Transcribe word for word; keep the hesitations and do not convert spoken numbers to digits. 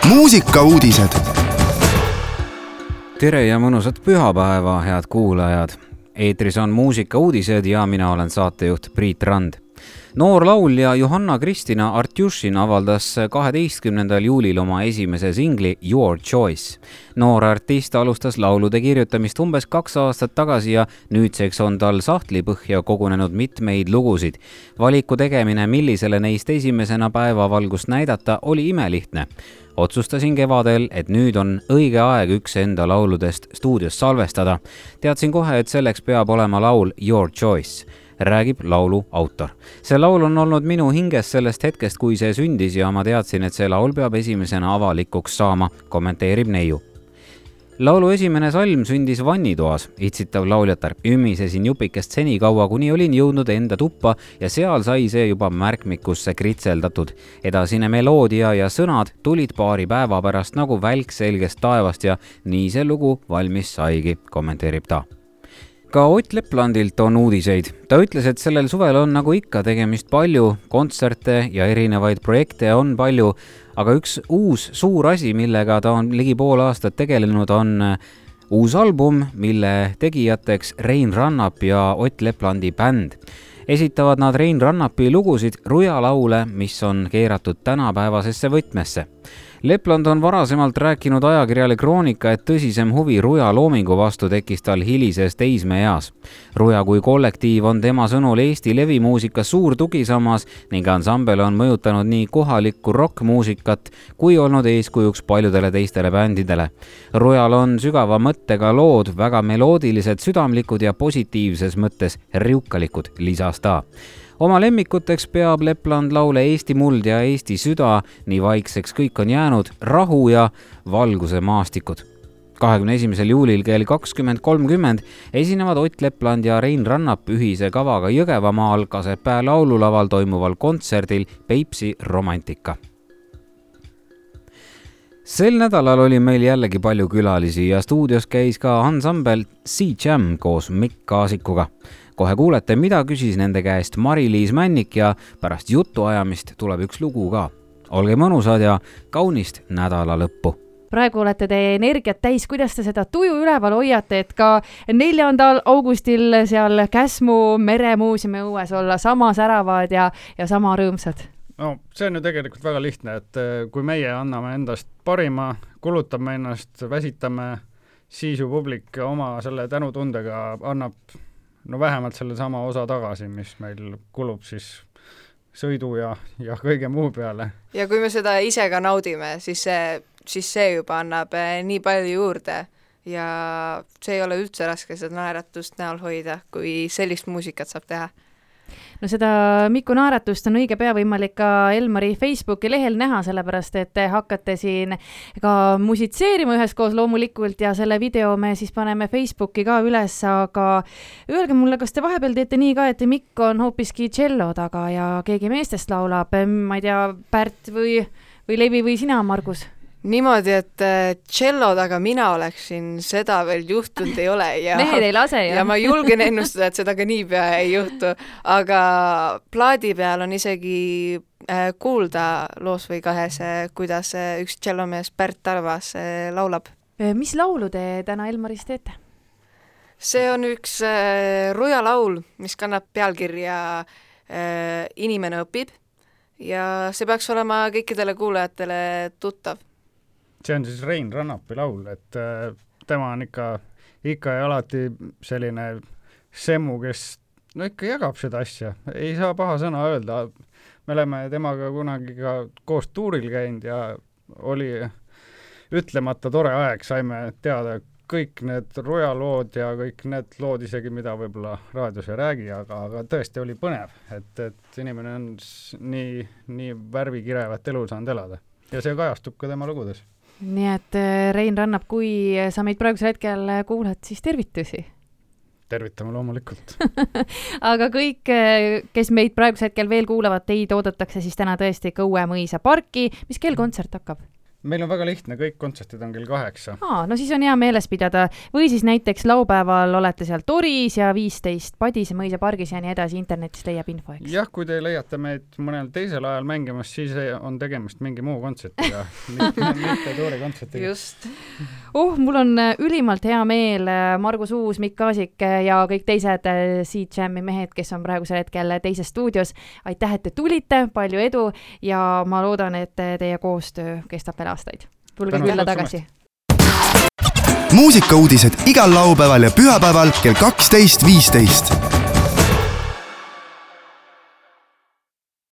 muusikauudised. Tere ja mõnusat pühapäeva, head kuulajad. Eetris on muusikauudised ja mina olen saatejuht Priit Rand. Noor laulja Johanna-Kristina Artjušin avaldas kaheteistkümnendal juulil oma esimese singli Your Choice. Noor artist alustas laulude kirjutamist umbes kaks aastat tagasi ja nüüdseks on tal sahtlipõhja kogunenud mitmeid lugusid. Valiku tegemine, millisele neist esimesena päevavalgust näidata, oli imelihtne. Otsustasin kevadel, et nüüd on õige aeg üks enda lauludest stuudios salvestada. Teadsin kohe, et selleks peab olema laul Your Choice, räägib laulu autor. See laul on olnud minu hinges sellest hetkest, kui see sündis ja ma teadsin, et see laul peab esimesena avalikuks saama, kommenteerib neiu. Laulu esimene salm sündis vannitoas, itsitav lauljatar. Ümmisesin jupikest seni kaua, kuni olin jõudnud enda tuppa ja seal sai see juba märkmikusse kritseldatud. Edasine meloodia ja sõnad tulid paari päeva pärast nagu välk selgest taevast ja nii see lugu valmis saigi, kommenteerib ta. Ka Ott Leplandilt on uudiseid. Ta ütles, et sellel suvel on nagu ikka tegemist palju, kontserte ja erinevaid projekte on palju, aga üks uus suur asi, millega ta on ligi pool aastat tegelenud, on uus album, mille tegijateks Rein Rannap ja Ott Leplandi bänd. Esitavad nad Rein Rannapi lugusid rujalaule, mis on keeratud tänapäevasesse võtmesse. Lepland on varasemalt rääkinud ajakirjale Kroonika, et tõsisem huvi ruja loomingu vastu tekkis tal hilises teismeeas. Ruja kui kollektiiv on tema sõnul Eesti levimuusika suur tugisammas ning ansambel on mõjutanud nii kohalikku rockmuusikat kui olnud eeskujuks paljudele teistele bändidele. Rujal on sügava mõttega lood, väga meloodilised, südamlikud ja positiivses mõttes riukalikud, lisas ta. Oma lemmikuteks peab Lepland laule Eesti muld ja Eesti süda, nii vaikseks kõik on jäänud, rahu ja valguse maastikud. kahekümne esimesel juulil kell kakskümmend kolmkümmend esinevad Ott Lepland ja Rein Rannap ühise kavaga Jõgevamaal Kasepää laululaval toimuval kontserdil Peipsi romantika. Sel nädalal oli meil jällegi palju külalisi ja stuudios käis ka ansambel C-Jam koos Mikk Kaasikuga. Kohe kuulete, mida küsis nende käest Mari-Liis Männik ja pärast jutuajamist tuleb üks lugu ka. Olge mõnusad ja kaunist nädala lõppu. Praegu olete te energiat täis, kuidas te seda tuju üleval hoiate, et ka neljandal augustil seal Käsmu meremuuseumi õues olla sama säravad ja, ja sama rõõmsad? No, see on ju tegelikult väga lihtne, et kui meie anname endast parima, kulutame ennast, väsitame, siis ju publik oma selle tänutundega annab no vähemalt selle sama osa tagasi, mis meil kulub siis sõidu ja, ja kõige muu peale. Ja kui me seda ise ka naudime, siis see, siis see juba annab nii palju juurde ja see ei ole üldse raske seda naeratust näol hoida, kui sellist muusikat saab teha. No seda Miku naeratust on õige pea võimalik ka Elmari Facebooki lehel näha, sellepärast et te hakkate siin ka musitseerima üheskoos loomulikult ja selle video me siis paneme Facebooki ka üles, aga öelge mulle, kas te vahepeal teete nii ka, et Mikk on hoopiski cello taga ja keegi meestest laulab, ma ei tea, Pärt või, või Levi või sina, Margus? Niimoodi, et cello taga mina oleksin, seda veel juhtunud ei ole. Ja, mehed ei lase, ja ma julgen ennustada, et seda ka niipea ei juhtu. Aga plaadi peal on isegi kuulda loos või kahes, kuidas üks cellomees Pärt Tarvas laulab. Mis laulu te täna Elmaris teete? See on üks ruja laul, mis kannab pealkirja Inimene õpib ja see peaks olema kõikidele kuulajatele tuttav. See on siis Rein Rannapi laul, et äh, tema on ikka, ikka ja alati selline semmu, kes no ikka jagab seda asja. Ei saa paha sõna öelda. Me oleme temaga kunagi ka koos tuuril käinud ja oli ütlemata tore aeg. Saime teada kõik need rujalood ja kõik need lood isegi, mida võib-olla raadios ei räägi, aga, aga tõesti oli põnev, et, et inimene on nii, nii värvikirevat elu saanud elada. Ja see kajastub ka tema lugudes. Nii et Rein Rannap, kui sa meid praegusel hetkel kuulad, siis tervitusi. Tervitame loomulikult. Aga kõik, kes meid praegusel hetkel veel kuulavad, teid oodatakse siis täna tõesti Kõue mõisa parki. Mis kell kontsert hakkab? meil on väga lihtne, kõik kontserdid on kell kaheksa. Aa, no siis on hea meeles pidada. Või siis näiteks laupäeval olete seal Toris ja viisteist Padise mõisa pargis ja nii edasi, internetis leiab info, eks? Jah, kui te leiate meid mõnel teisel ajal mängimas, siis on tegemist mingi muu kontsertiga, mitte Tori kontsertiga. Just. Oh, mul on ülimalt hea meel, Margus Uus, Mikk Kaasik ja kõik teised C-Jam'i mehed, kes on praegusel hetkel teises stuudios. Aitäh, et te tulite, palju edu ja ma loodan, et teie koostöö kestab veel aastaid. Tulge külla tagasi. Muusikauudised igal laupäeval ja pühapäeval kell kaksteist viisteist.